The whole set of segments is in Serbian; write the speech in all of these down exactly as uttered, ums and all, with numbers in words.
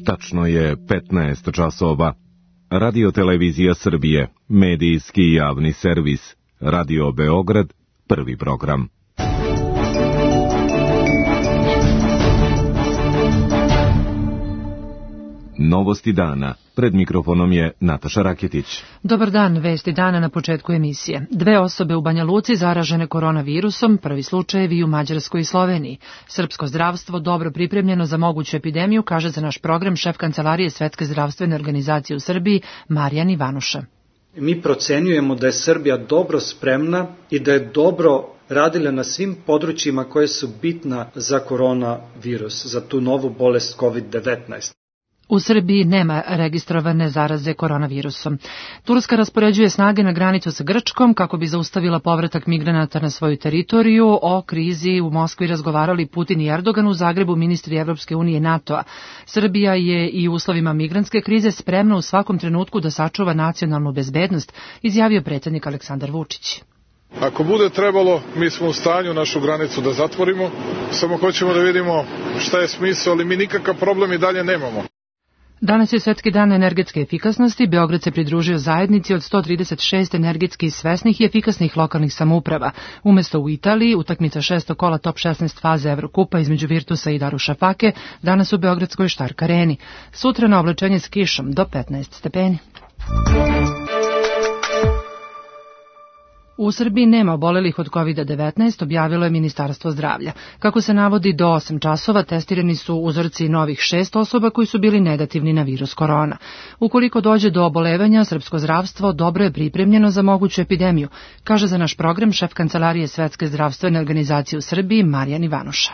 Tačno je petnaest časova. Radio Televizija Srbije, medijski javni servis, Radio Beograd, prvi program. Novosti dana. Pred mikrofonom je Nataša Raketić. Dobar dan, vesti dana na početku emisije. Dve osobe u Banja Luci zaražene koronavirusom, prvi slučajevi u Mađarskoj i Sloveniji. Srpsko zdravstvo dobro pripremljeno za moguću epidemiju, kaže za naš program šef Kancelarije Svetske zdravstvene organizacije u Srbiji, Marijan Ivanuša. Mi procenjujemo da je Srbija dobro spremna i da je dobro radila na svim područjima koje su bitna za koronavirus, za tu novu bolest kovid devetnaest. U Srbiji nema registrovane zaraze koronavirusom. Turska raspoređuje snage na granicu sa Grčkom kako bi zaustavila povratak migranata na svoju teritoriju. O krizi u Moskvi razgovarali Putin i Erdogan, u Zagrebu ministri Evropske unije i NATO-a. Srbija je i u uslovima migrantske krize spremna u svakom trenutku da sačuva nacionalnu bezbednost, izjavio predsjednik Aleksandar Vučić. Ako bude trebalo, mi smo u stanju našu granicu da zatvorimo, samo hoćemo da vidimo šta je smisao, ali mi nikakav problem i dalje nemamo. Danas je Svetski dan energetske efikasnosti. Beograd se pridružio zajednici od sto trideset šest energetski svesnih i efikasnih lokalnih samouprava. Umesto u Italiji, utakmica šesto kola top šesnaest faze Evrokupa između Virtusa i Darušafake, danas u beogradskoj Štark areni. Sutra na oblačenje s kišom do petnaest stepeni. U Srbiji nema obolelih od kovid devetnaest, objavilo je Ministarstvo zdravlja. Kako se navodi, do osam časova testirani su uzorci novih šest osoba koji su bili negativni na virus korona. Ukoliko dođe do obolevanja, srpsko zdravstvo dobro je pripremljeno za moguću epidemiju, kaže za naš program šef Kancelarije Svetske zdravstvene organizacije u Srbiji, Marijan Ivanuša.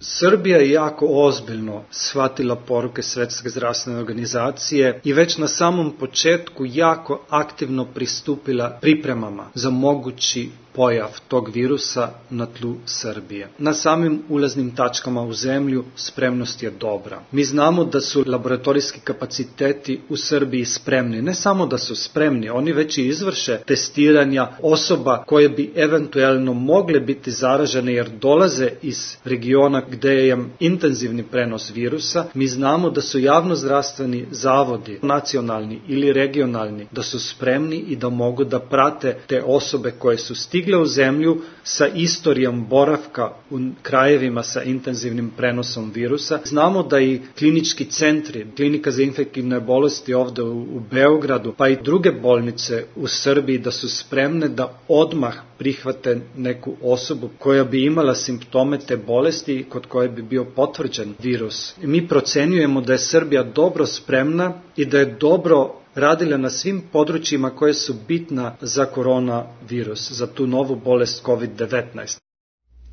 Srbija je jako ozbiljno shvatila poruke Svetske zdravstvene organizacije i već na samom početku jako aktivno pristupila pripremama za mogući pojav tog virusa na tlu Srbije. Na samim ulaznim tačkama u zemlju spremnost je dobra. Mi znamo da su laboratorijski kapaciteti u Srbiji spremni. Ne samo da su spremni, oni već i izvrše testiranja osoba koje bi eventualno mogle biti zaražene jer dolaze iz regiona gde je intenzivni prenos virusa. Mi znamo da su javnozdravstveni zavodi, nacionalni ili regionalni, da su spremni i da mogu da prate te osobe koje su stigle u zemlju sa istorijom boravka u krajevima sa intenzivnim prenosom virusa. Znamo da i klinički centri, klinika za infektivne bolesti ovde u, u Beogradu, pa i druge bolnice u Srbiji da su spremne da odmah prihvate neku osobu koja bi imala simptome te bolesti i kod koje bi bio potvrđen virus. Mi procenjujemo da je Srbija dobro spremna i da je dobro radila na svim područjima koje su bitna za koronavirus, za tu novu bolest kovid devetnaest.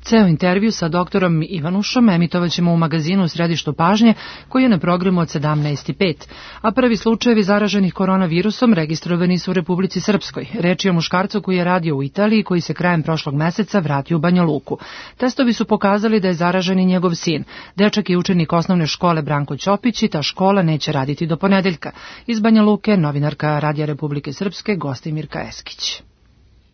Ceo intervju sa doktorom Ivanušom emitovat ćemo u magazinu u Središtu pažnje, koji je na programu od sedamnaest i pet, a prvi slučajevi zaraženih koronavirusom registrovani su u Republici Srpskoj. Reč je o muškarcu koji je radio u Italiji, koji se krajem prošlog meseca vratio u Banja Luku. Testovi su pokazali da je zaražen i njegov sin. Dečak je učenik osnovne škole Branko Ćopić i ta škola neće raditi do ponedeljka. Iz Banja Luke, novinarka Radija Republike Srpske, Gostimirka Eskić.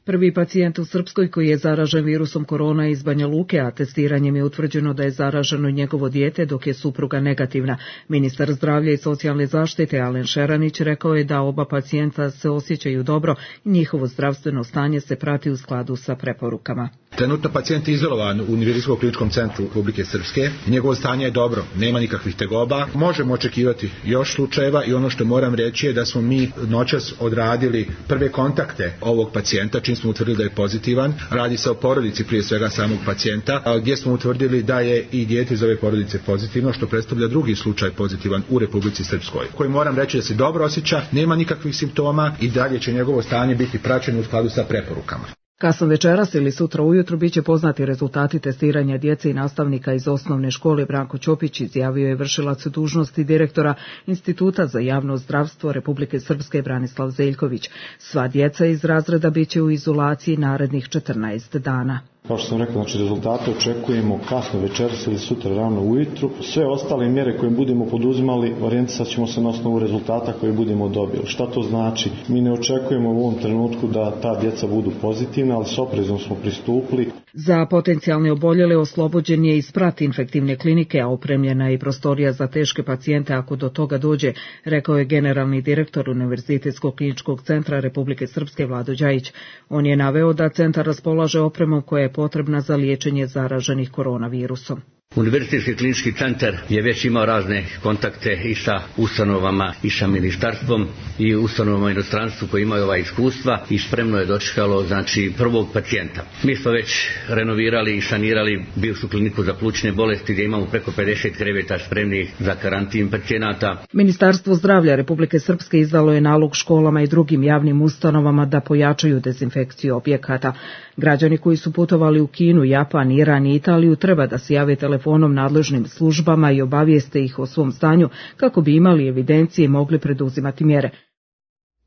Prvi pacijent u Srpskoj koji je zaražen virusom korona iz Banja Luke, a testiranjem je utvrđeno da je zaraženo njegovo dijete dok je supruga negativna. Ministar zdravlja i socijalne zaštite Alen Šeranić rekao je da oba pacijenta se osjećaju dobro i njihovo zdravstveno stanje se prati u skladu sa preporukama. Trenutno pacijent je izolovan u Univerzijskom kliničkom centru Republike Srpske. Njegovo stanje je dobro, nema nikakvih tegoba. Možemo očekivati još slučajeva i ono što moram reći je da smo mi noćas odradili prve kontakte ovog pacijenta, čim smo utvrdili da je pozitivan. Radi se o porodici prije svega samog pacijenta, gdje smo utvrdili da je i dijete iz ove porodice pozitivno, što predstavlja drugi slučaj pozitivan u Republici Srpskoj, koji moram reći da se dobro osjeća, nema nikakvih simptoma i dalje će njegovo stanje biti praćeno u skladu sa preporukama. Kasno večeras ili sutra ujutru biće poznati rezultati testiranja djece i nastavnika iz osnovne škole Branko Ćopić, izjavio je vršilac dužnosti direktora Instituta za javno zdravstvo Republike Srpske Branislav Zeljković. Sva djeca iz razreda biće u izolaciji narednih četrnaest dana. Kao što sam rekao, znači rezultate očekujemo kasno večeras ili sutra rano ujutru. Sve ostale mjere koje budemo poduzimali, orijentisat ćemo se na osnovu rezultata koje budemo dobili. Šta to znači? Mi ne očekujemo u ovom trenutku da ta djeca budu pozitivna, ali s oprezom smo pristupili. Za potencijalne oboljele oslobođen je i sprat infektivne klinike, a opremljena je i prostorija za teške pacijente ako do toga dođe, rekao je generalni direktor Univerzitetskog kliničkog centra Republike Srpske Vlado Đajić. On je naveo da centar raspolaže opremom koja je potrebna za liječenje zaraženih koronavirusom. Univerzitetski klinički centar je već imao razne kontakte i sa ustanovama i sa ministarstvom i ustanovama u inostranstvu koji imaju ova iskustva i spremno je dočekalo znači prvog pacijenta. Mi smo već renovirali i sanirali bivšu kliniku za plućne bolesti gdje imamo preko pedeset kreveta spremnih za karantin pacijenata. Ministarstvo zdravlja Republike Srpske izdalo je nalog školama i drugim javnim ustanovama da pojačaju dezinfekciju objekata. Građani koji su putovali u Kinu, Japan, Iran i Italiju treba da se jave telefonom nadležnim službama i obavijeste ih o svom stanju kako bi imali evidencije i mogli preduzimati mjere.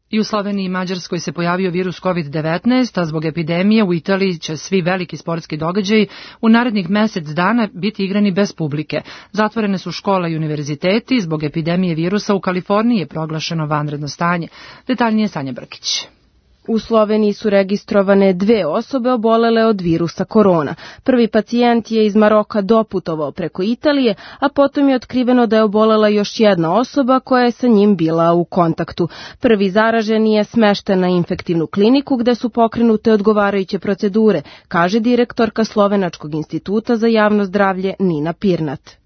I u Sloveniji i Mađarskoj se pojavio virus kovid devetnaest, a zbog epidemije u Italiji će svi veliki sportski događaji u narednih mesec dana biti igrani bez publike. Zatvorene su škola i univerziteti, zbog epidemije virusa u Kaliforniji je proglašeno vanredno stanje. Detaljnije Sanja Brkić. U Sloveniji su registrovane dve osobe obolele od virusa korona. Prvi pacijent je iz Maroka doputovao preko Italije, a potom je otkriveno da je obolela još jedna osoba koja je sa njim bila u kontaktu. Prvi zaraženi je smešten na infektivnu kliniku gde su pokrenute odgovarajuće procedure, kaže direktorka Slovenačkog instituta za javno zdravlje Nina Pirnat.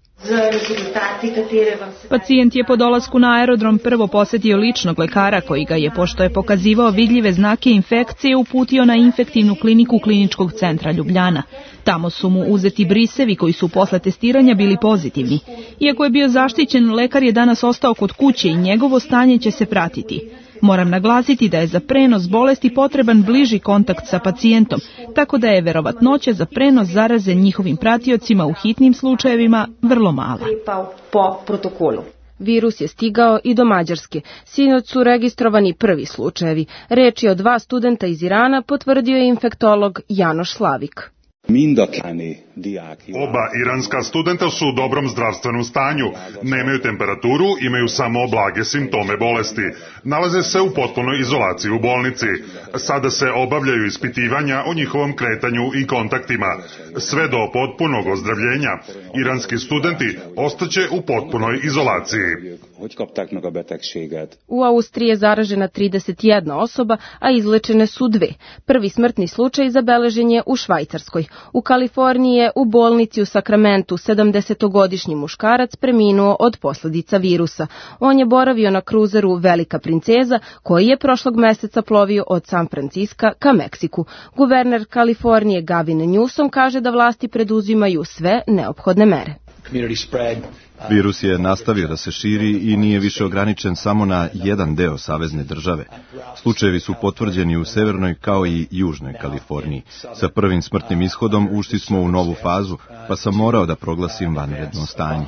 Pacijent je po dolasku na aerodrom prvo posetio ličnog lekara koji ga je, pošto je pokazivao vidljive znake infekcije, uputio na infektivnu kliniku Kliničkog centra Ljubljana. Tamo su mu uzeti brisevi koji su posle testiranja bili pozitivni. Iako je bio zaštićen, lekar je danas ostao kod kuće i njegovo stanje će se pratiti. Moram naglasiti da je za prenos bolesti potreban bliži kontakt sa pacijentom, tako da je verovatnoća za prenos zaraze njihovim pratiocima u hitnim slučajevima vrlo mala. Virus je stigao i do Mađarske. Sinoć su registrovani prvi slučajevi. Reč je o dva studenta iz Irana, potvrdio je infektolog Janoš Slavik. Oba iranska studenta su u dobrom zdravstvenom stanju, nemaju temperaturu, imaju samo blage simptome bolesti. Nalaze se u potpunoj izolaciji u bolnici. Sada se obavljaju ispitivanja o njihovom kretanju i kontaktima. Sve do potpunog ozdravljenja, iranski studenti ostaće u potpunoj izolaciji. U Austriji je zaražena trideset jedna osoba, a izlečene su dve. Prvi smrtni slučaj zabeležen je u Švajcarskoj. U Kaliforniji je u bolnici u Sakramentu sedamdesetogodišnji muškarac preminuo od posljedica virusa. On je boravio na kruzeru Velika princeza, koji je prošlog meseca plovio od San Franciska ka Meksiku. Guverner Kalifornije Gavin Newsom kaže da vlasti preduzimaju sve neophodne mere. Virus je nastavio da se širi i nije više ograničen samo na jedan deo savezne države. Slučajevi su potvrđeni u severnoj kao i južnoj Kaliforniji. Sa prvim smrtnim ishodom ušli smo u novu fazu, pa sam morao da proglasim vanredno stanje.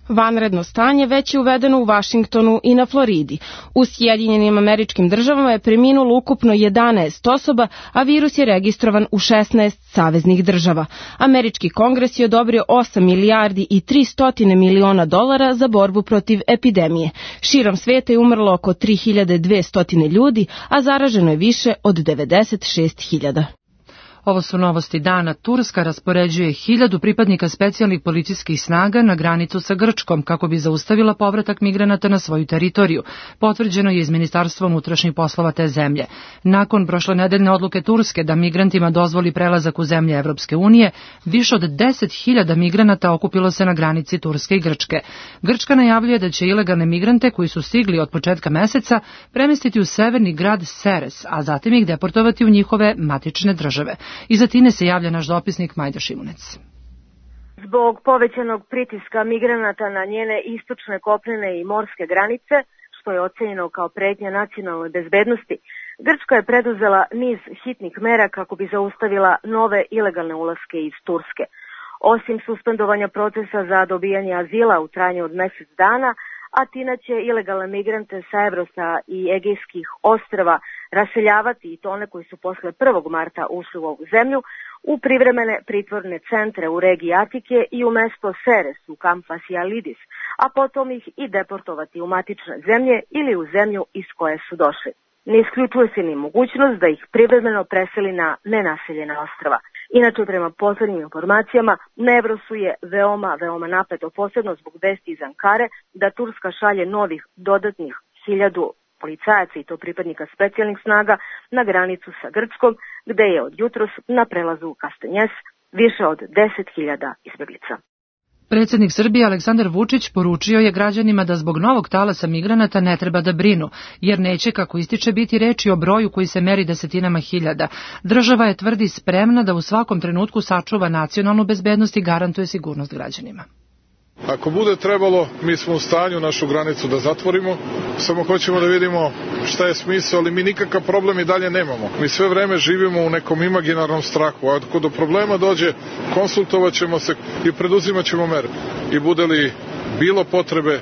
Vanredno stanje već je uvedeno u Vašingtonu i na Floridi. U Sjedinjenim Američkim Državama je preminulo ukupno jedanaest osoba, a virus je registrovan u šesnaest saveznih država. Američki kongres je odobrio osam milijardi i tristo miliona dolara za borbu protiv epidemije. Širom sveta je umrlo oko tri hiljade dvesta ljudi, a zaraženo je više od devedeset šest hiljada. Ovo su novosti dana. Turska raspoređuje hiljadu pripadnika specijalnih policijskih snaga na granicu sa Grčkom kako bi zaustavila povratak migranata na svoju teritoriju. Potvrđeno je iz Ministarstva unutrašnjih poslova te zemlje. Nakon prošlonedeljne odluke Turske da migrantima dozvoli prelazak u zemlje Evropske unije, više od deset hiljada migranata okupilo se na granici Turske i Grčke. Grčka najavljuje da će ilegalne migrante koji su stigli od početka meseca premestiti u severni grad Seres, a zatim ih deportovati u njihove matične države. Iz Atine se javlja naš dopisnik Majda Šimunec. Zbog povećanog pritiska migranata na njene istočne kopnene i morske granice, što je ocenjeno kao pretnja nacionalnoj bezbednosti, Grčka je preduzela niz hitnih mera kako bi zaustavila nove ilegalne ulaske iz Turske. Osim suspendovanja procesa za dobijanje azila u trajanju od mjesec dana, Atina će ilegalne migrante sa Evrosa i Egejskih ostrva raseljavati, i to one koji su posle prvog marta ušli u ovu zemlju, u privremene pritvorne centre u regiji Atike i u mesto Seres u kamp Fasijalidis, a potom ih i deportovati u matične zemlje ili u zemlju iz koje su došli. Ne isključuje se ni mogućnost da ih privremeno preseli na nenaseljena ostrva. Inače, prema poslednjim informacijama, na Evrosu je veoma, veoma napeto, posebno zbog vesti iz Ankare da Turska šalje novih dodatnih hiljadu policajaca i to pripadnika specijalnih snaga na granicu sa Grčkom, gde je od jutros na prelazu Kastanjes više od deset hiljada izbeglica. Predsjednik Srbije Aleksandar Vučić poručio je građanima da zbog novog talasa migranata ne treba da brinu, jer neće, kako ističe, biti reči o broju koji se meri desetinama hiljada. Država je, tvrdi, spremna da u svakom trenutku sačuva nacionalnu bezbednost i garantuje sigurnost građanima. Ako bude trebalo, mi smo u stanju našu granicu da zatvorimo, samo hoćemo da vidimo šta je smisao, ali mi nikakav problem i dalje nemamo. Mi sve vreme živimo u nekom imaginarnom strahu, a ako do problema dođe, konsultovat ćemo se i preduzimat ćemo mere. I bude li bilo potrebe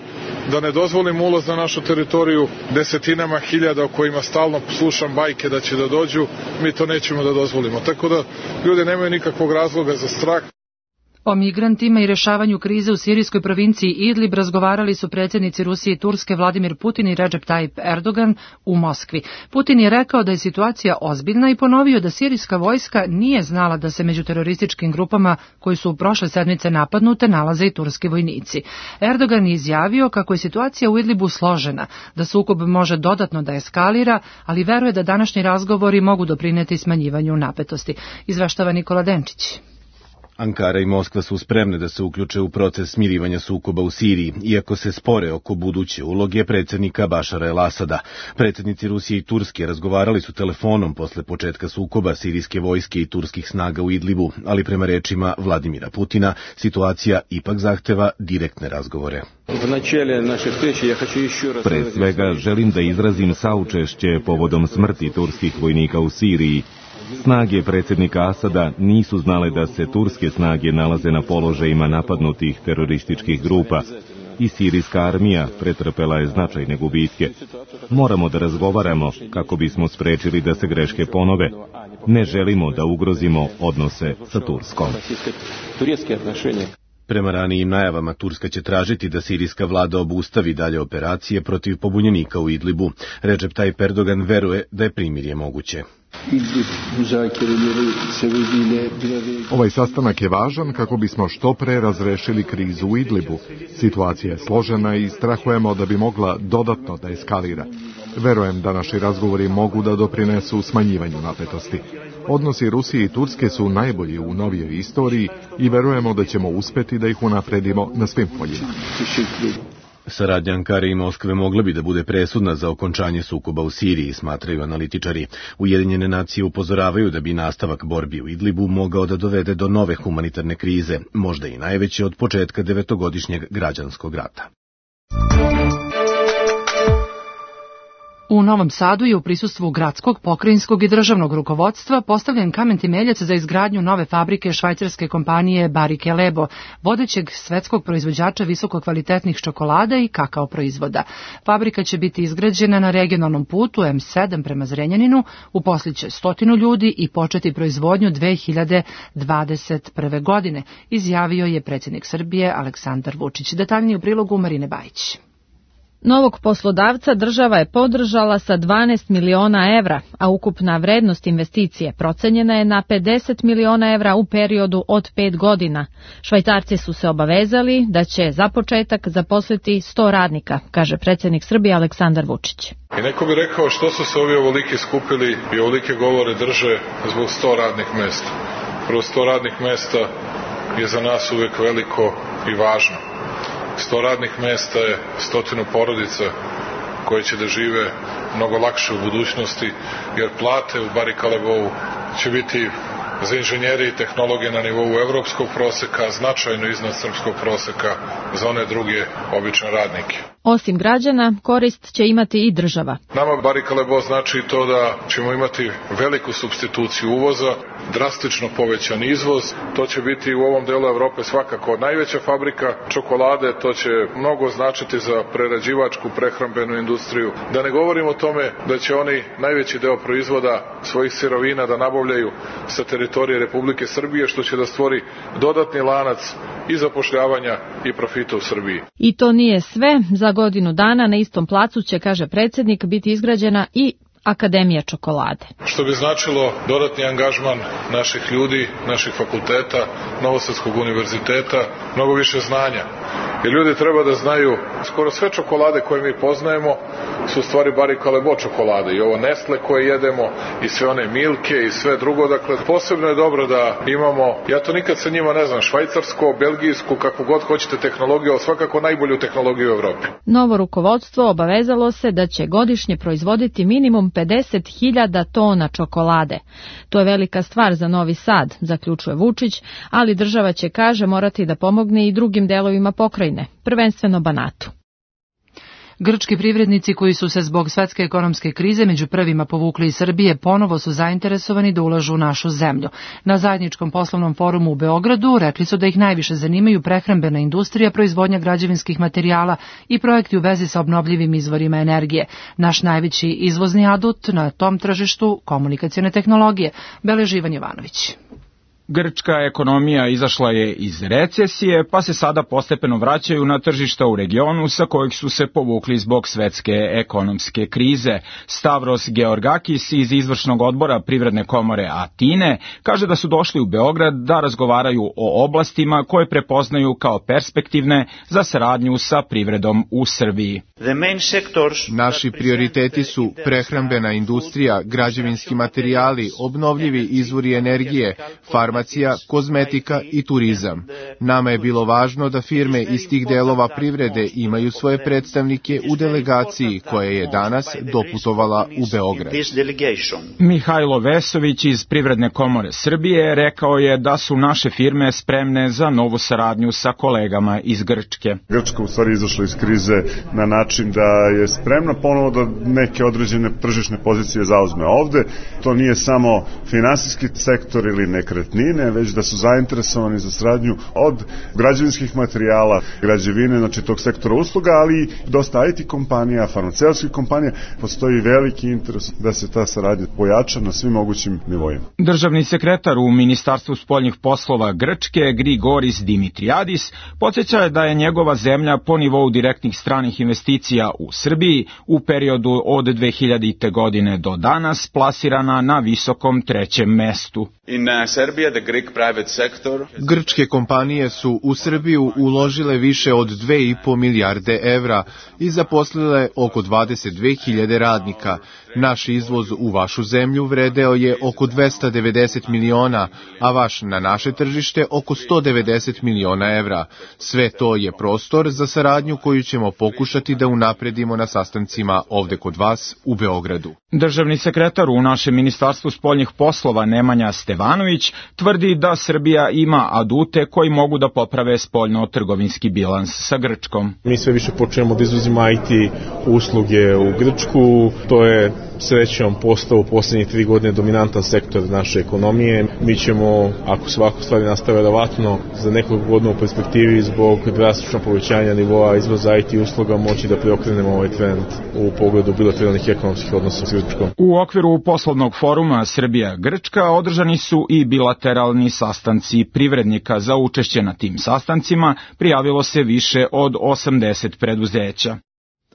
da ne dozvolimo ulaz na našu teritoriju desetinama hiljada o kojima stalno slušam bajke da će da dođu, mi to nećemo da dozvolimo. Tako da ljudi nemaju nikakvog razloga za strah. O migrantima i rešavanju krize u sirijskoj provinciji Idlib razgovarali su predsjednici Rusije i Turske Vladimir Putin i Recep Tayyip Erdogan u Moskvi. Putin je rekao da je situacija ozbiljna i ponovio da sirijska vojska nije znala da se među terorističkim grupama koji su u prošle sedmice napadnute nalaze i turski vojnici. Erdogan je izjavio kako je situacija u Idlibu složena, da sukob može dodatno da eskalira, ali veruje da današnji razgovori mogu doprineti smanjivanju napetosti. Izveštava Nikola Denčić. Ankara i Moskva su spremne da se uključe u proces smirivanja sukoba u Siriji, iako se spore oko buduće uloge predsjednika Bašara el-Asada. Predsjednici Rusije i Turske razgovarali su telefonom posle početka sukoba sirijske vojske i turskih snaga u Idlibu, ali prema rečima Vladimira Putina, situacija ipak zahteva direktne razgovore. Pre svega želim da izrazim saučešće povodom smrti turskih vojnika u Siriji. Snage predsjednika Asada nisu znale da se turske snage nalaze na položajima napadnutih terorističkih grupa i sirijska armija pretrpela je značajne gubitke. Moramo da razgovaramo kako bismo sprečili da se greške ponove. Ne želimo da ugrozimo odnose sa Turskom. Prema ranijim najavama, Turska će tražiti da sirijska vlada obustavi dalje operacije protiv pobunjenika u Idlibu. Recep Tayyip Erdogan veruje da je primirje moguće. Ovaj sastanak je važan kako bismo što pre razrešili krizu u Idlibu. Situacija je složena i strahujemo da bi mogla dodatno da eskalira. Verujem da naši razgovori mogu da doprinesu smanjivanju napetosti. Odnosi Rusije i Turske su najbolji u novijoj istoriji i verujemo da ćemo uspeti da ih unapredimo na svim poljima. Saradnja Ankare i Moskve mogla bi da bude presudna za okončanje sukoba u Siriji, smatraju analitičari. Ujedinjene nacije upozoravaju da bi nastavak borbi u Idlibu mogao da dovede do nove humanitarne krize, možda i najveće od početka devetogodišnjeg građanskog rata. U Novom Sadu je u prisustvu gradskog, pokrajinskog i državnog rukovodstva postavljen kamen temeljac za izgradnju nove fabrike švajcarske kompanije Barike Lebo, vodećeg svetskog proizvođača visokokvalitetnih čokolada i kakao proizvoda. Fabrika će biti izgrađena na regionalnom putu M sedam prema Zrenjaninu, uposliće stotinu ljudi i početi proizvodnju dve hiljade dvadeset prve. godine, izjavio je predsjednik Srbije Aleksandar Vučić. Detaljnije u prilogu Marine Bajić. Novog poslodavca država je podržala sa dvanaest miliona evra, a ukupna vrednost investicije procenjena je na pedeset miliona evra u periodu od pet godina. Švajcarci su se obavezali da će za početak zaposliti sto radnika, kaže predsjednik Srbije Aleksandar Vučić. I neko bi rekao što su se ovi ovoliki skupili i ovolike govore drže zbog sto radnih mesta. Prvo, sto radnih mesta je za nas uvek veliko i važno. sto radnih mesta je stotinu porodica koje će da žive mnogo lakše u budućnosti, jer plate u Barika Lebovu će biti za inženjeri i tehnologije na nivou evropskog proseka, značajno iznad srpskog proseka za one druge obične radnike. Osim građana, korist će imati i država. Nama Barika Lebo znači to da ćemo imati veliku supstituciju uvoza, drastično povećan izvoz. To će biti u ovom delu Evrope svakako najveća fabrika čokolade, to će mnogo značiti za prerađivačku prehrambenu industriju. Da ne govorim o tome da će oni najveći deo proizvoda svojih sirovina da nabavljaju sa teritorije Republike Srbije, što će da stvori dodatni lanac i zapošljavanja i profita u Srbiji. I to nije sve. Za godinu dana na istom placu će, kaže predsjednik, biti izgrađena i Akademija čokolade. Što bi značilo dodatni angažman naših ljudi, naših fakulteta, Novosadskog univerziteta, mnogo više znanja. Jer ljudi treba da znaju, skoro sve čokolade koje mi poznajemo su u stvari Barry Callebaut čokolade i ovo Nestle koje jedemo i sve one Milke i sve drugo. Dakle, posebno je dobro da imamo, ja to nikad sa njima ne znam, švajcarsko, belgijsku, kakvu god hoćete tehnologiju, ali svakako najbolju tehnologiju u Evropi. Novo rukovodstvo obavezalo se da će godišnje proizvoditi minimum pedeset hiljada tona čokolade. To je velika stvar za Novi Sad, zaključuje Vučić, ali država će, kaže, morati da pomogne i drugim delovima pokrajine, prvenstveno Banatu. Grčki privrednici koji su se zbog svetske ekonomske krize među prvima povukli iz Srbije ponovo su zainteresovani da ulažu u našu zemlju. Na zajedničkom poslovnom forumu u Beogradu rekli su da ih najviše zanimaju prehrambena industrija, proizvodnja građevinskih materijala i projekti u vezi sa obnovljivim izvorima energije. Naš najveći izvozni adut na tom tržištu komunikacione tehnologije, beleži Ivan Jovanović. Grčka ekonomija izašla je iz recesije, pa se sada postepeno vraćaju na tržišta u regionu sa kojih su se povukli zbog svetske ekonomske krize. Stavros Georgakis iz izvršnog odbora Privredne komore Atine kaže da su došli u Beograd da razgovaraju o oblastima koje prepoznaju kao perspektivne za saradnju sa privredom u Srbiji. Naši prioriteti su prehrambena industrija, građevinski materijali, obnovljivi izvori energije, farmacija, kozmetika i turizam. Nama je bilo važno da firme iz tih delova privrede imaju svoje predstavnike u delegaciji koja je danas doputovala u Beograd. Mihajlo Vesović iz Privredne komore Srbije rekao je da su naše firme spremne za novu saradnju sa kolegama iz Grčke. Grčka u stvari izašla iz krize na način da je spremna ponovo da neke određene tržišne pozicije zauzme ovde. To nije samo finansijski sektor ili nekretnine, već da su zainteresovani za saradnju od građevinskih materijala, građevine, znači tog sektora usluga, ali i dosta I T kompanija, farmaceutskih kompanija. Postoji veliki interes da se ta saradnja pojača na svim mogućim nivoima. Državni sekretar u Ministarstvu spoljnih poslova Grčke, Grigoris Dimitriadis, podsjeća je da je njegova zemlja po nivou direktnih stranih investicija u Srbiji u periodu od dve hiljadite. godine do danas plasirana na visokom trećem mestu. In uh, Serbia, the Greek private sector... Grčke kompanije su u Srbiju uložile više od dve i po milijarde evra i zaposlile oko dvadeset dve hiljade radnika. Naš izvoz u vašu zemlju vredeo je oko dvesta devedeset miliona, a vaš na naše tržište oko sto devedeset miliona evra. Sve to je prostor za saradnju koju ćemo pokušati da unapredimo na sastancima ovde kod vas u Beogradu. Državni sekretar u našem Ministarstvu spoljnih poslova Nemanja Stevanović tvrdi da Srbija ima adute koji mogu da poprave spoljno-trgovinski bilans sa Grčkom. Mi sve više počnemo da izvozimo I T usluge u Grčku, to je srećom postao u posljednjih tri godine dominantan sektor naše ekonomije. Mi ćemo, ako se ovako stvari nastave verovatno, za nekoliko godina u perspektivi zbog drastičnog povećanja nivoa izvoza I T usluga moći da preokrenemo ovaj trend u pogledu bilateralnih ekonomskih odnosa s Grčkom. U okviru poslovnog foruma Srbija-Grčka održani su i bilateralni sastanci privrednika. Za učešće na tim sastancima prijavilo se više od osamdeset preduzeća.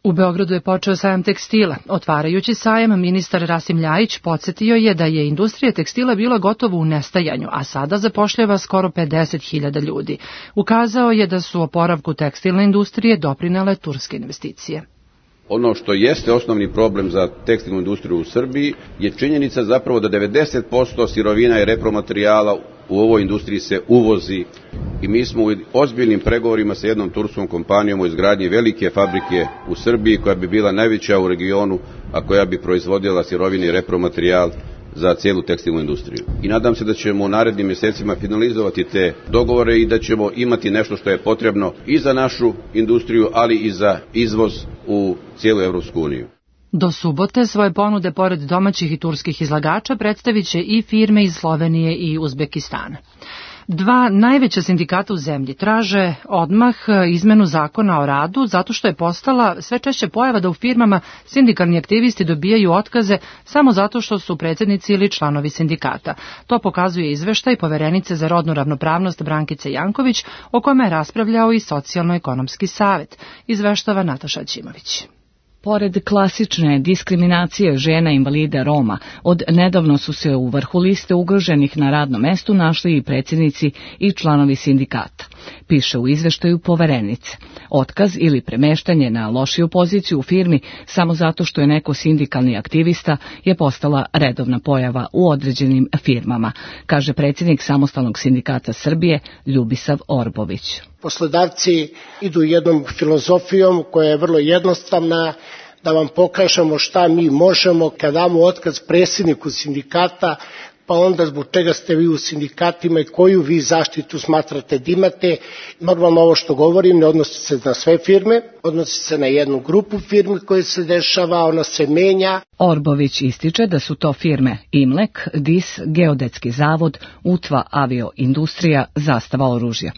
U Beogradu je počeo sajam tekstila. Otvarajući sajam, ministar Rasim Ljajić podsjetio je da je industrija tekstila bila gotovo u nestajanju, a sada zapošljava skoro pedeset hiljada ljudi. Ukazao je da su oporavku tekstilne industrije doprinele turske investicije. Ono što jeste osnovni problem za tekstilnu industriju u Srbiji je činjenica zapravo da devedeset posto sirovina i repromaterijala u ovoj industriji se uvozi i mi smo u ozbiljnim pregovorima sa jednom turskom kompanijom o izgradnji velike fabrike u Srbiji koja bi bila najveća u regionu, a koja bi proizvodila sirovine i repromaterijal za cijelu tekstilnu industriju. I nadam se da ćemo u narednim mjesecima finalizovati te dogovore i da ćemo imati nešto što je potrebno i za našu industriju, ali i za izvoz u cijelu Evropsku uniju. Do subote svoje ponude pored domaćih i turskih izlagača predstavit će i firme iz Slovenije i Uzbekistana. Dva najveća sindikata u zemlji traže odmah izmenu zakona o radu zato što je postala sve češće pojava da u firmama sindikalni aktivisti dobijaju otkaze samo zato što su predsjednici ili članovi sindikata. To pokazuje izveštaj poverenice za rodnu ravnopravnost Brankice Janković, o kome je raspravljao i Socijalno-ekonomski savet, izveštava Nataša Ćimović. Pored klasične diskriminacije žena invalida Roma, od nedavno su se u vrhu liste ugroženih na radnom mestu našli i predsjednici i članovi sindikata. Piše u izveštaju poverenice. Otkaz ili premeštanje na lošiju poziciju u firmi samo zato što je neko sindikalni aktivista je postala redovna pojava u određenim firmama, kaže predsjednik Samostalnog sindikata Srbije Ljubisav Orbović. Poslodavci idu jednom filozofijom koja je vrlo jednostavna, da vam pokažemo šta mi možemo kad damo otkaz predsjedniku sindikata, pa onda zbog čega ste vi u sindikatima i koju vi zaštitu smatrate da imate. Normalno ovo što govorim ne odnosi se na sve firme, odnosi se na jednu grupu firmi koja se dešava, ona se menja. Orbović ističe da su to firme Imlek, D I S, Geodetski zavod, Utva avioindustrija, Zastava oružja.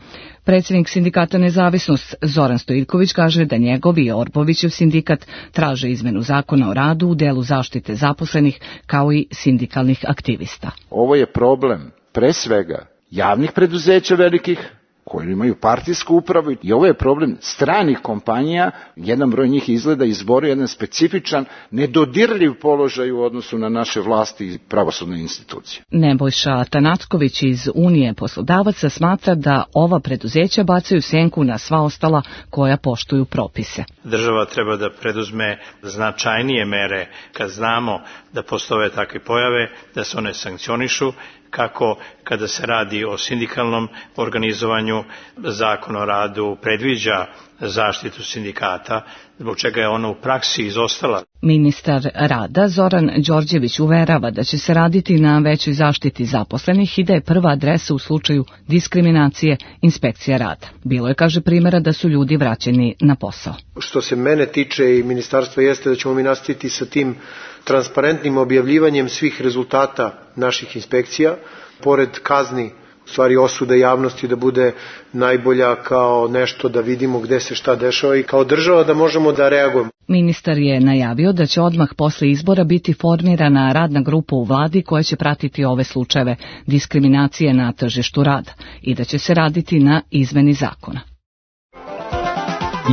Predsjednik sindikata Nezavisnost Zoran Stojiljković kaže da njegov i Orbovićev sindikat traže izmenu zakona o radu u delu zaštite zaposlenih kao i sindikalnih aktivista. Ovo je problem pre svega javnih preduzeća velikih koji imaju partijsku upravu i ovo je problem stranih kompanija, jedan broj njih izgleda izborio jedan specifičan, nedodirljiv položaj u odnosu na naše vlasti i pravosudne institucije. Nebojša Tanacković iz Unije poslodavaca smatra da ova preduzeća bacaju senku na sva ostala koja poštuju propise. Država treba da preduzme značajnije mere kad znamo da postoje takve pojave, da se one sankcionišu, kako kada se radi o sindikalnom organizovanju. Zakon o radu predviđa zaštitu sindikata, zbog čega je ona u praksi izostala. Ministar rada Zoran Đorđević uverava da će se raditi na većoj zaštiti zaposlenih i da je prva adresa u slučaju diskriminacije inspekcija rada. Bilo je, kaže, primjera da su ljudi vraćeni na posao. Što se mene tiče i ministarstva jeste da ćemo mi nastaviti sa tim transparentnim objavljivanjem svih rezultata naših inspekcija, pored kazni, u stvari osuda javnosti da bude najbolja kao nešto da vidimo gde se šta dešava i kao država da možemo da reagujemo. Ministar je najavio da će odmah posle izbora biti formirana radna grupa u vladi koja će pratiti ove slučajeve diskriminacije na tržištu rada i da će se raditi na izmeni zakona.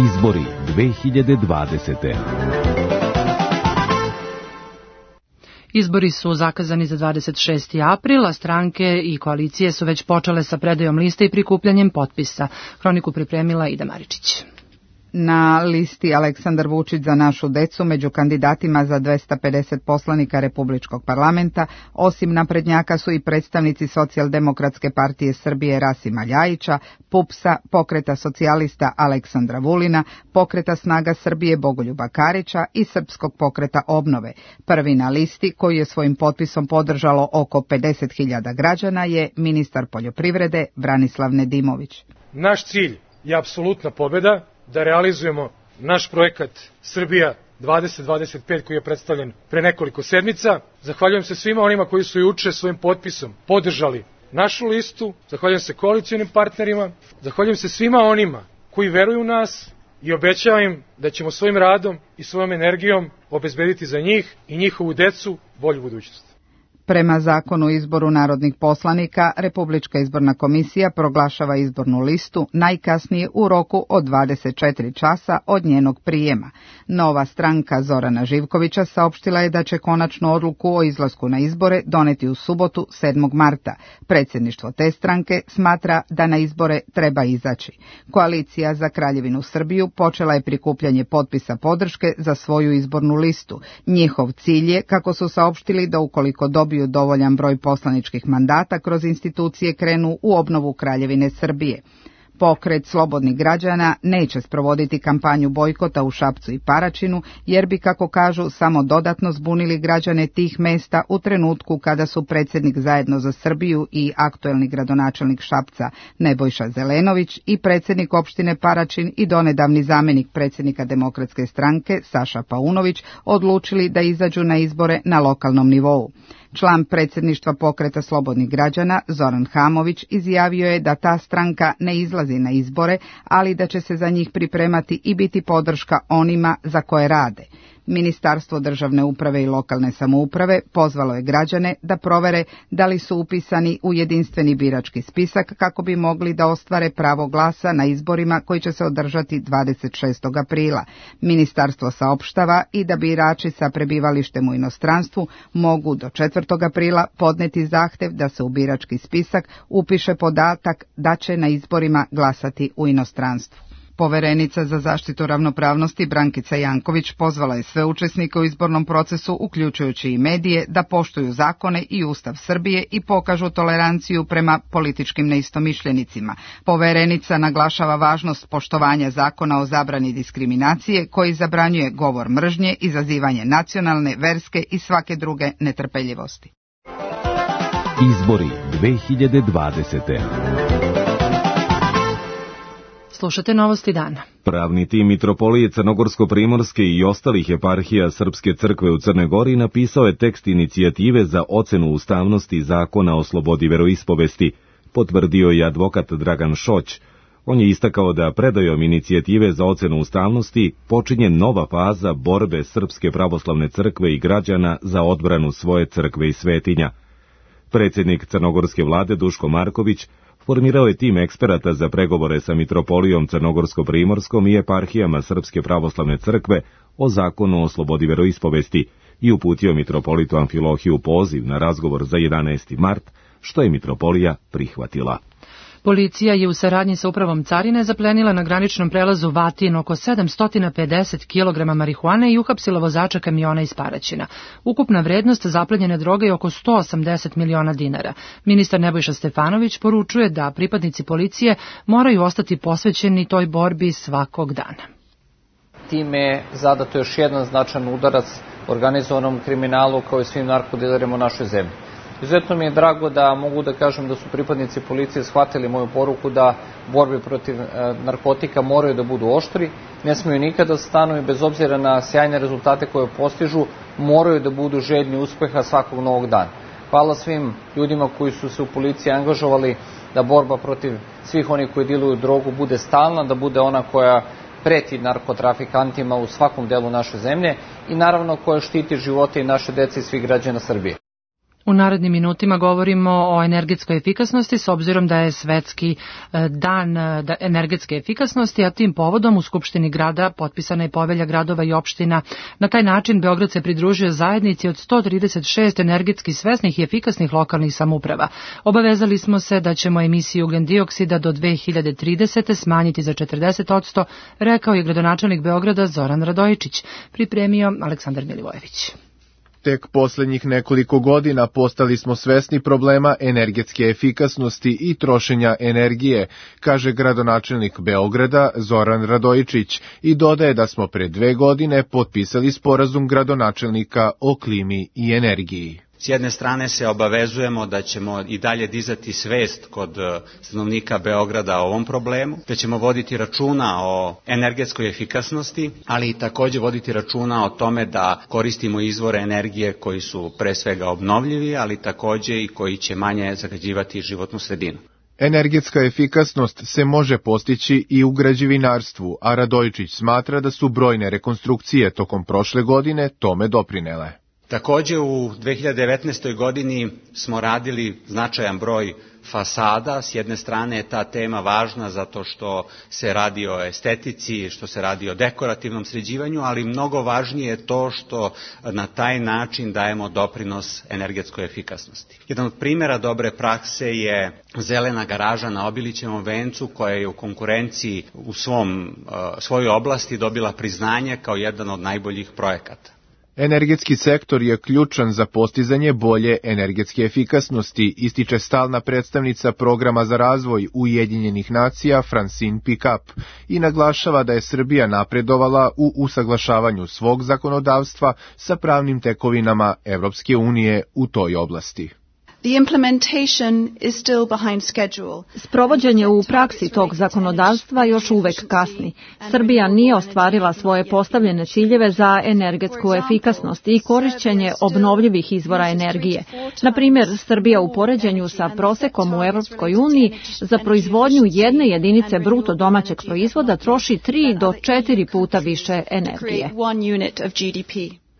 Izbori dve hiljade dvadesete. Izbori su zakazani za dvadeset šesti april, a stranke i koalicije su već počele sa predajom liste i prikupljanjem potpisa. Hroniku pripremila Ida Maričić. Na listi Aleksandar Vučić za našu decu među kandidatima za dvesta pedeset poslanika Republičkog parlamenta, osim naprednjaka su i predstavnici Socijaldemokratske partije Srbije Rasima Ljajića, PUPS-a, Pokreta socijalista Aleksandra Vulina, Pokreta snaga Srbije Bogoljuba Karića i Srpskog pokreta obnove. Prvi na listi, koji je svojim potpisom podržalo oko pedeset hiljada građana, je ministar poljoprivrede Branislav Nedimović. Naš cilj je apsolutna pobjeda, da realizujemo naš projekat Srbija dvadeset dvadeset pet koji je predstavljen pre nekoliko sedmica. Zahvaljujem se svima onima koji su juče svojim potpisom podržali našu listu, zahvaljujem se koalicionim partnerima, zahvaljujem se svima onima koji veruju u nas i obećavam im da ćemo svojim radom i svojom energijom obezbediti za njih i njihovu decu bolju budućnost. Prema zakonu o izboru narodnih poslanika, Republička izborna komisija proglašava izbornu listu najkasnije u roku od dvadeset četiri časa od njenog prijema. Nova stranka Zorana Živkovića saopštila je da će konačnu odluku o izlasku na izbore doneti u subotu sedmog marta. Predsjedništvo te stranke smatra da na izbore treba izaći. Koalicija za Kraljevinu Srbiju počela je prikupljanje potpisa podrške za svoju izbornu listu. Njihov cilj je, kako su saopštili, da ukoliko dobiju dovoljan broj poslaničkih mandata kroz institucije krenu u obnovu Kraljevine Srbije. Pokret slobodnih građana neće sprovoditi kampanju bojkota u Šapcu i Paraćinu, jer bi, kako kažu, samo dodatno zbunili građane tih mesta u trenutku kada su predsjednik Zajedno za Srbiju i aktuelni gradonačelnik Šapca Nebojša Zelenović i predsjednik opštine Paraćin i donedavni zamjenik predsjednika Demokratske stranke Saša Paunović odlučili da izađu na izbore na lokalnom nivou. Član predsjedništva Pokreta slobodnih građana Zoran Hamović izjavio je da ta stranka ne izlazi na izbore, ali da će se za njih pripremati i biti podrška onima za koje rade. Ministarstvo državne uprave i lokalne samouprave pozvalo je građane da provere da li su upisani u jedinstveni birački spisak kako bi mogli da ostvare pravo glasa na izborima koji će se održati dvadeset šestog aprila. Ministarstvo saopštava i da birači sa prebivalištem u inostranstvu mogu do četvrtog aprila podneti zahtev da se u birački spisak upiše podatak da će na izborima glasati u inostranstvu. Poverenica za zaštitu ravnopravnosti Brankica Janković pozvala je sve učesnike u izbornom procesu, uključujući i medije, da poštuju zakone i Ustav Srbije i pokažu toleranciju prema političkim neistomišljenicima. Poverenica naglašava važnost poštovanja zakona o zabrani diskriminacije koji zabranjuje govor mržnje, izazivanje nacionalne, verske i svake druge netrpeljivosti. Izbori dve hiljade dvadesete. Slušate novosti dana. Pravni tim Mitropolije Crnogorsko-Primorske i ostalih eparhija Srpske crkve u Crnoj Gori napisao je tekst inicijative za ocenu ustavnosti zakona o slobodi veroispovesti, potvrdio je advokat Dragan Šoć. On je istakao da predajom inicijative za ocenu ustavnosti počinje nova faza borbe Srpske pravoslavne crkve i građana za odbranu svoje crkve i svetinja. Predsjednik crnogorske vlade Duško Marković formirao je tim eksperata za pregovore sa Mitropolijom Crnogorsko-Primorskom i eparhijama Srpske pravoslavne crkve o zakonu o slobodi veroispovesti i uputio mitropolitu Amfilohiju poziv na razgovor za jedanaesti mart, što je mitropolija prihvatila. Policija je u saradnji sa upravom carine zaplenila na graničnom prelazu Vatin oko sedamsto pedeset kilograma marihuane i uhapsila vozača kamiona iz Paraćina. Ukupna vrednost zaplenjene droge je oko sto osamdeset miliona dinara. Ministar Nebojša Stefanović poručuje da pripadnici policije moraju ostati posvećeni toj borbi svakog dana. Time je zadato još jedan značajan udarac organizovanom kriminalu kao i svim narkodilerima u našoj zemlji. Izuzetno mi je drago da mogu da kažem da su pripadnici policije shvatili moju poruku da borbe protiv narkotika moraju da budu oštri, ne smiju nikada stanu i bez obzira na sjajne rezultate koje postižu, moraju da budu željni uspeha svakog novog dana. Hvala svim ljudima koji su se u policiji angažovali da borba protiv svih onih koji diluju drogu bude stalna, da bude ona koja preti narkotrafikantima u svakom delu naše zemlje i naravno koja štiti živote i naše dece i svih građana Srbije. U narednim minutima govorimo o energetskoj efikasnosti s obzirom da je svetski dan energetske efikasnosti, a tim povodom u Skupštini grada potpisana je povelja gradova i opština. Na taj način Beograd se pridružio zajednici od sto trideset šest energetski svesnih i efikasnih lokalnih samouprava. Obavezali smo se da ćemo emisiju ugljendioksida do dve hiljade tridesete. smanjiti za četrdeset posto, rekao je gradonačelnik Beograda Zoran Radojičić, pripremio Aleksandar Milivojević. Tek poslednjih nekoliko godina postali smo svesni problema energetske efikasnosti i trošenja energije, kaže gradonačelnik Beograda Zoran Radojičić i dodaje da smo pre dve godine potpisali sporazum gradonačelnika o klimi i energiji. S jedne strane se obavezujemo da ćemo i dalje dizati svest kod stanovnika Beograda o ovom problemu, da ćemo voditi računa o energetskoj efikasnosti, ali i takođe voditi računa o tome da koristimo izvore energije koji su pre svega obnovljivi, ali takođe i koji će manje zagađivati životnu sredinu. Energetska efikasnost se može postići i u građevinarstvu, a Radojičić smatra da su brojne rekonstrukcije tokom prošle godine tome doprinele. Takođe u dve hiljade devetnaestoj godini smo radili značajan broj fasada. S jedne strane je ta tema važna zato što se radi o estetici, što se radi o dekorativnom sređivanju, ali mnogo važnije je to što na taj način dajemo doprinos energetskoj efikasnosti. Jedan od primjera dobre prakse je zelena garaža na Obilićevom vencu koja je u konkurenciji u svom, svojoj oblasti dobila priznanje kao jedan od najboljih projekata. Energetski sektor je ključan za postizanje bolje energetske efikasnosti, ističe stalna predstavnica programa za razvoj Ujedinjenih nacija Francine Pickup i naglašava da je Srbija napredovala u usaglašavanju svog zakonodavstva sa pravnim tekovinama Evropske unije u toj oblasti. The implementation is still behind schedule. Sprovođenje u praksi tog zakonodavstva još uvek kasni. Srbija nije ostvarila svoje postavljene ciljeve za energetsku efikasnost i korišćenje obnovljivih izvora energije. Na primjer, Srbija u poređenju sa prosekom u Evropskoj uniji za proizvodnju jedne jedinice bruto domaćeg proizvoda troši tri do četiri puta više energije.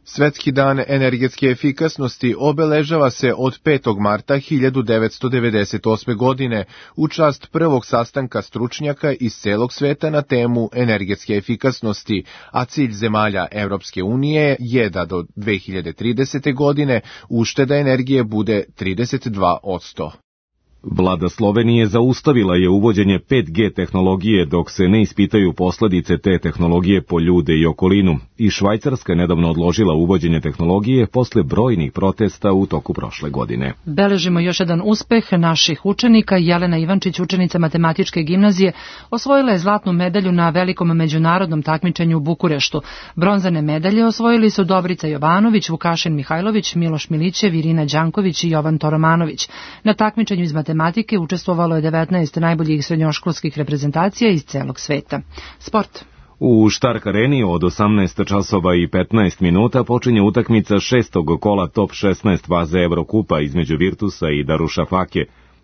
Svetski dan energetske efikasnosti obeležava se od petog marta hiljadu devetsto devedeset osme. godine u čast prvog sastanka stručnjaka iz celog sveta na temu energetske efikasnosti, a cilj zemalja Evropske unije je da do dve hiljade tridesete. godine ušteda energije bude trideset dva posto. Vlada Slovenije zaustavila je uvođenje pet G tehnologije dok se ne ispitaju posledice te tehnologije po ljude i okolinu. I Švajcarska je nedavno odložila uvođenje tehnologije posle brojnih protesta u toku prošle godine. Beležimo još jedan uspeh naših učenika. Jelena Ivančić, učenica Matematičke gimnazije, osvojila je zlatnu medalju na velikom međunarodnom takmičenju u Bukureštu. Bronzane medalje osvojili su Dobrica Jovanović, Vukašin Mihajlović, Miloš Milićev, Irina Đanković i Jovan Toromanović. Na takmičenju iz matematike učestvovalo je devetnaest najboljih srednjoškolskih reprezentacija iz celog sveta. Sport. U Štark areni od osamnaest časova i petnaest minuta počinje utakmica šestog kola top šesnaest faze Evrokupa između Virtusa i Darušafake.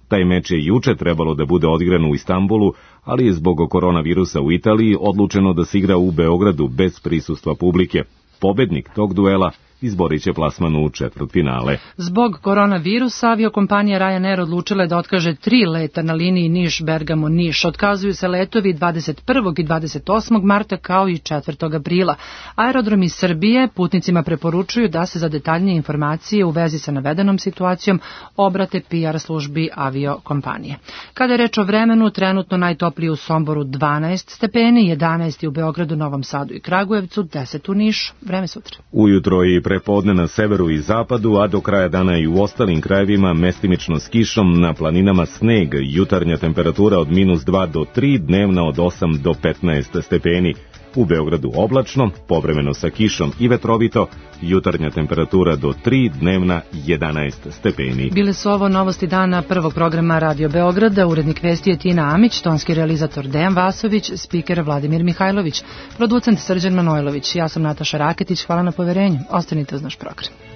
Taj meč je juče trebalo da bude odigran u Istanbulu, ali je zbog koronavirusa u Italiji odlučeno da se igra u Beogradu bez prisustva publike. Pobednik tog duela izborit će plasman u četvrtfinale. Zbog koronavirusa aviokompanija Ryanair odlučila je da otkaže tri leta na liniji Niš-Bergamo-Niš. Otkazuju se letovi dvadeset prvog i dvadeset osmog marta kao i četvrtog aprila. Aerodromi Srbije putnicima preporučuju da se za detaljnije informacije u vezi sa navedenom situacijom obrate P R službi aviokompanije. Kada je reč o vremenu, trenutno najtoplije u Somboru dvanaest stepeni, jedanaest u Beogradu, Novom Sadu i Kragujevcu, deset u Nišu. Vreme sutra. Ujutro i prepodne na severu i zapadu, a do kraja dana i u ostalim krajevima mestimično s kišom, na planinama sneg, jutarnja temperatura od minus dva do tri, dnevna od osam do petnaest stepeni. U Beogradu oblačno, povremeno sa kišom i vetrovito, jutarnja temperatura do tri, dnevna jedanaest stepeni. Bile su ovo novosti dana prvog programa Radio Beograda, urednik vesti je Tina Amić, tonski realizator Dejan Vasović, spiker Vladimir Mihajlović, producent Srđan Manojlović. Ja sam Nataša Raketić, hvala na poverenju. Ostanite uz naš program.